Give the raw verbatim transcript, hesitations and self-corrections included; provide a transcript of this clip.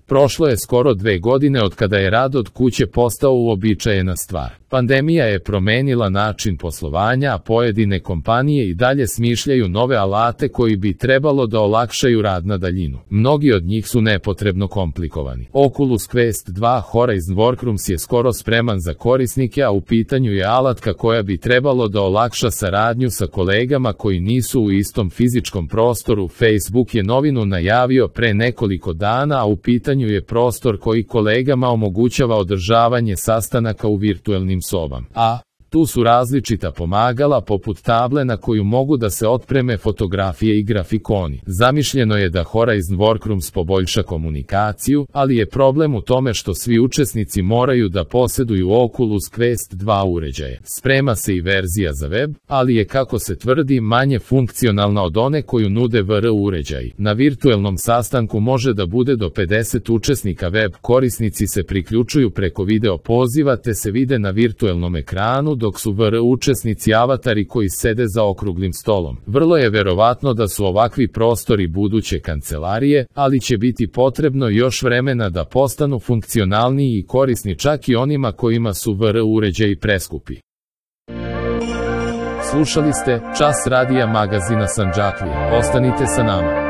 Prošlo je skoro dve godine od kada je rad od kuće postao uobičajena stvar. Pandemija je promenila način poslovanja, a pojedine kompanije i dalje smišljaju nove alate koji bi trebalo da olakšaju rad na daljinu. Mnogi od njih su nepotrebno komplikovani. Oculus Quest dva Horizon Workrooms je skoro spreman za korisnike, a u pitanju je alatka koja bi trebalo da olakša saradnju sa kolegama koji nisu u istom fizičkom prostoru. Facebook je novinu najavio pre nekoliko dana, a u pitanju je prostor koji kolegama omogućava održavanje sastanaka u virtuelnim sobama. A tu su različita pomagala poput table na koju mogu da se otpreme fotografije i grafikoni. Zamišljeno je da Horizon Workrooms poboljša komunikaciju, ali je problem u tome što svi učesnici moraju da posjeduju Oculus Quest dva uređaje. Sprema se i verzija za web, ali je, kako se tvrdi, manje funkcionalna od one koju nude V R uređaji. Na virtuelnom sastanku može da bude do pedeset učesnika. Web korisnici se priključuju preko video poziva te se vide na virtuelnom ekranu, dok su V R učesnici avatari koji sede za okruglim stolom. Vrlo je verovatno da su ovakvi prostori buduće kancelarije, ali će biti potrebno još vremena da postanu funkcionalniji i korisni čak i onima kojima su V R uređaji preskupi. Slušali ste Čas radija magazina Sandžaklija. Ostanite sa nama.